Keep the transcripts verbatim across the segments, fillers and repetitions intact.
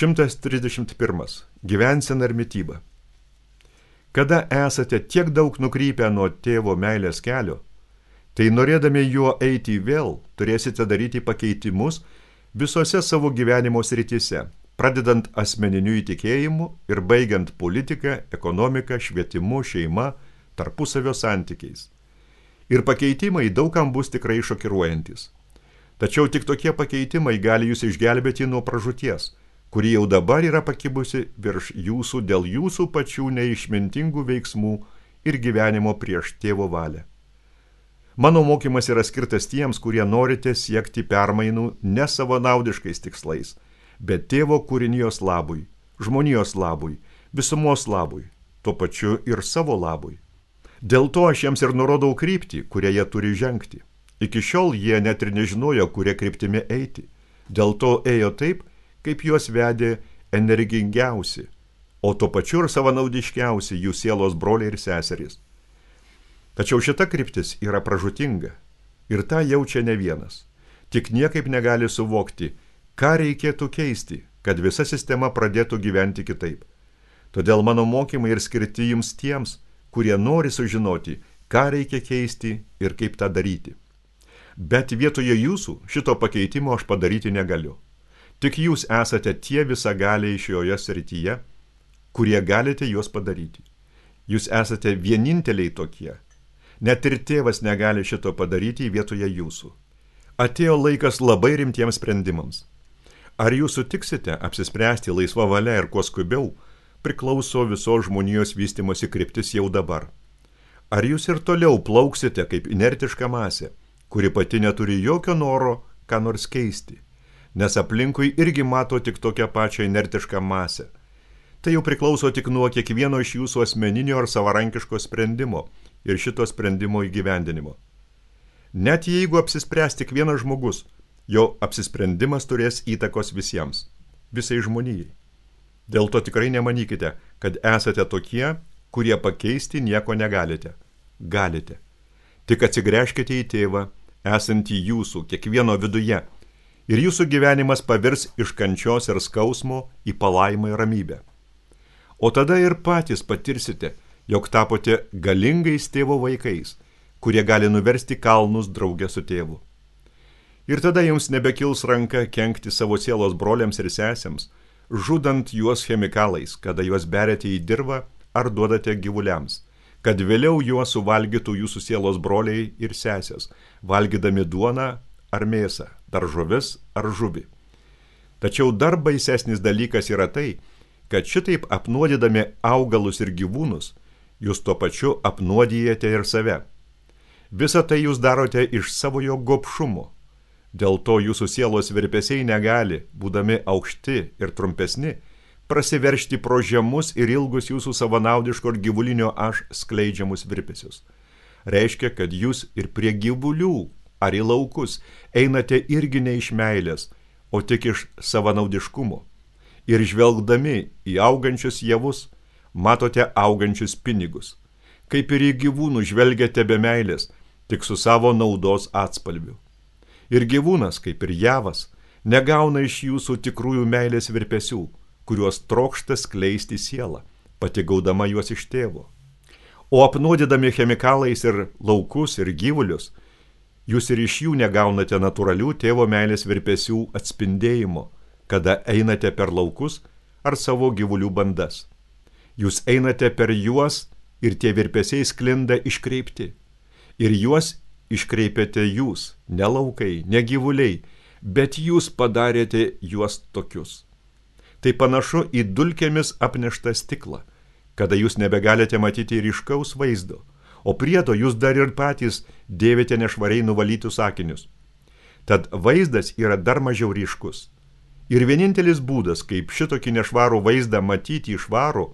šimtas trisdešimt pirmas. Gyvensena ir mityba. Kada esate tiek daug nukrypę nuo tėvo meilės kelio, tai norėdami juo eiti vėl, turėsite daryti pakeitimus visose savo gyvenimo srityse, pradedant asmeniniu įtikėjimu ir baigiant politiką, ekonomiką, švietimu, šeima, tarpusavio santykiais. Ir pakeitimai daugam bus tikrai šokiruojantis. Tačiau tik tokie pakeitimai gali jūs išgelbėti nuo pražūties, kuri jau dabar yra pakibusi virš jūsų dėl jūsų pačių neišmintingų veiksmų ir gyvenimo prieš tėvo valią. Mano mokymas yra skirtas tiems, kurie norite siekti permainų ne savanaudiškais tikslais, bet tėvo kūrinijos labui, žmonijos labui, visumos labui, tuo pačiu ir savo labui. Dėl to aš jiems ir nurodau kryptį, kurią jie turi žengti. Iki šiol jie net ir nežinojo, kurie kryptimi eiti. Dėl to ėjo taip, kaip juos vedė energingiausi, o tuo pačiu ir savanaudiškiausi jų sielos broliai ir seserys. Tačiau šita kryptis yra pražūtinga ir tą jaučia ne vienas. Tik niekaip negali suvokti, ką reikėtų keisti, kad visa sistema pradėtų gyventi kitaip. Todėl mano mokymai ir skirti jums tiems, kurie nori sužinoti, ką reikia keisti ir kaip tą daryti. Bet vietoje jūsų šito pakeitimo aš padaryti negaliu. Tik jūs esate tie visagaliai šioje srityje, kurie galite juos padaryti. Jūs esate vieninteliai tokie. Net ir tėvas negali šito padaryti vietoje jūsų. Atėjo laikas labai rimtiems sprendimams. Ar jūs sutiksite apsispręsti laisva valia ir kuo skubiau, priklauso visos žmonijos vystimosi kryptis jau dabar. Ar jūs ir toliau plauksite kaip inertiška masė, kuri pati neturi jokio noro ką nors keisti, nes aplinkui irgi mato tik tokią pačią inertišką masę. Tai jau priklauso tik nuo kiekvieno iš jūsų asmeninio ar savarankiško sprendimo ir šito sprendimo įgyvendinimo. Net jeigu apsispręs tik vienas žmogus, jo apsisprendimas turės įtakos visiems, visai žmonijai. Dėl to tikrai nemanykite, kad esate tokie, kurie pakeisti nieko negalite. Galite. Tik atsigręžkite į tėvą, esantį jūsų, kiekvieno viduje, ir jūsų gyvenimas pavirs iš kančios ir skausmo į palaimą ir ramybę. O tada ir patys patirsite, jog tapote galingais tėvo vaikais, kurie gali nuversti kalnus drauge su tėvu. Ir tada jums nebekils ranka kenkti savo sielos broliams ir sesėms, žudant juos chemikalais, kada juos beriate į dirvą ar duodate gyvuliams, kad vėliau juos suvalgytų jūsų sielos broliai ir sesės, valgydami duoną ar mėsą, daržoves ar žuvį. Tačiau dar baisesnis dalykas yra tai, kad šitaip apnuodydami augalus ir gyvūnus, jūs tuo pačiu apnuodijate ir save. Visą tai jūs darote iš savojo gobšumo. Dėl to jūsų sielos virpesiai negali, būdami aukšti ir trumpesni, prasiveršti pro žemus ir ilgus jūsų savanaudiško ir gyvulinio aš skleidžiamus virpesius. Reiškia, kad jūs ir prie gyvulių ar į laukus einate irgi ne iš meilės, o tik iš savanaudiškumo. Ir žvelgdami į augančius javus, matote augančius pinigus. Kaip ir į gyvūnų žvelgiate be meilės, tik su savo naudos atspalviu. Ir gyvūnas, kaip ir javas, negauna iš jūsų tikrųjų meilės virpesių, kuriuos trokšta skleisti sielą, pati gaudama juos iš tėvo. O apnuodydami chemikalais ir laukus ir gyvulius, jūs ir iš jų negaunate natūralių tėvo meilės virpesių atspindėjimo, kada einate per laukus ar savo gyvulių bandas. Jūs einate per juos ir tie virpesiai sklinda iškreipti. Ir juos iškreipiate jūs, ne laukai, ne gyvuliai, bet jūs padarėte juos tokius. Tai panašu į dulkėmis apneštą stiklą, kada jūs nebegalite matyti ryškaus vaizdo, o priedo jūs dar ir patys dėvite nešvariai nuvalytus akinius. Tad vaizdas yra dar mažiau ryškus. Ir vienintelis būdas, kaip šitokį nešvarų vaizdą matyti išvarų,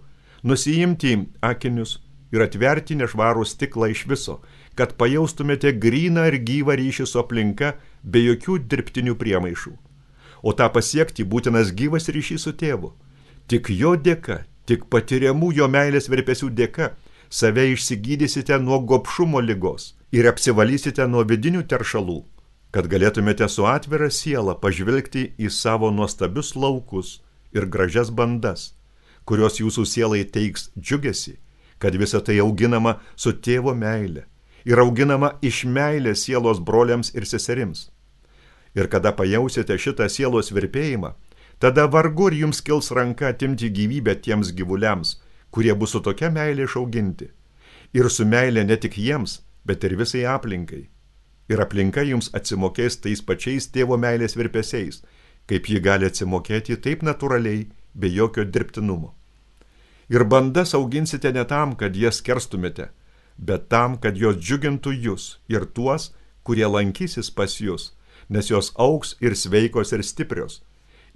nusiimti akinius ir atverti nešvarų stiklą iš viso, kad pajaustumėte gryną ir gyvą ryšį su aplinka be jokių dirbtinių priemaišų. O tą pasiekti būtinas gyvas ryšys su tėvu. Tik jo dėka, tik patiriamų jo meilės virpesių dėka, save išsigydysite nuo gobšumo ligos ir apsivalysite nuo vidinių teršalų, kad galėtumėte su atvira siela pažvelgti į savo nuostabius laukus ir gražias bandas, kurios jūsų sielai teiks džiugesi, kad visa tai auginama su tėvo meile ir auginama iš meilės sielos broliams ir seserims. Ir kada pajausite šitą sielos virpėjimą, tada vargu ir jums kils ranka atimti gyvybę tiems gyvuliams, kurie bus su tokia meilė išauginti. Ir su meilė ne tik jiems, bet ir visai aplinkai. Ir aplinka jums atsimokės tais pačiais tėvo meilės virpesiais, kaip ji gali atsimokėti taip natūraliai, be jokio dirbtinumo. Ir bandas auginsite ne tam, kad jas kerstumėte, bet tam, kad jos džiugintų jūs ir tuos, kurie lankysis pas jūs, nes jos augs ir sveikos ir stiprios.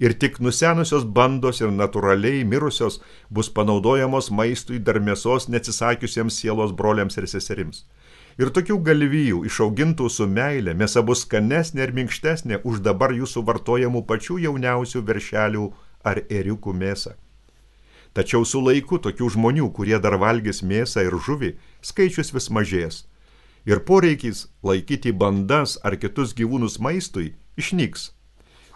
Ir tik nusenusios bandos ir natūraliai mirusios bus panaudojamos maistui dar mėsos neatsisakiusiems sielos broliams ir seserims. Ir tokių galvijų išaugintų su meile mėsa bus skanesnė ir minkštesnė už dabar jūsų vartojamų pačių jauniausių veršelių ar ėriukų mėsą. Tačiau su laiku tokių žmonių, kurie dar valgys mėsą ir žuvį, skaičius vis mažės. Ir poreikis laikyti bandas ar kitus gyvūnus maistui išnyks.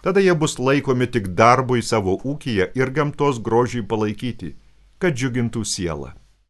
Tada jie bus laikomi tik darbui savo ūkyje ir gamtos grožiui palaikyti, kad džiugintų sielą.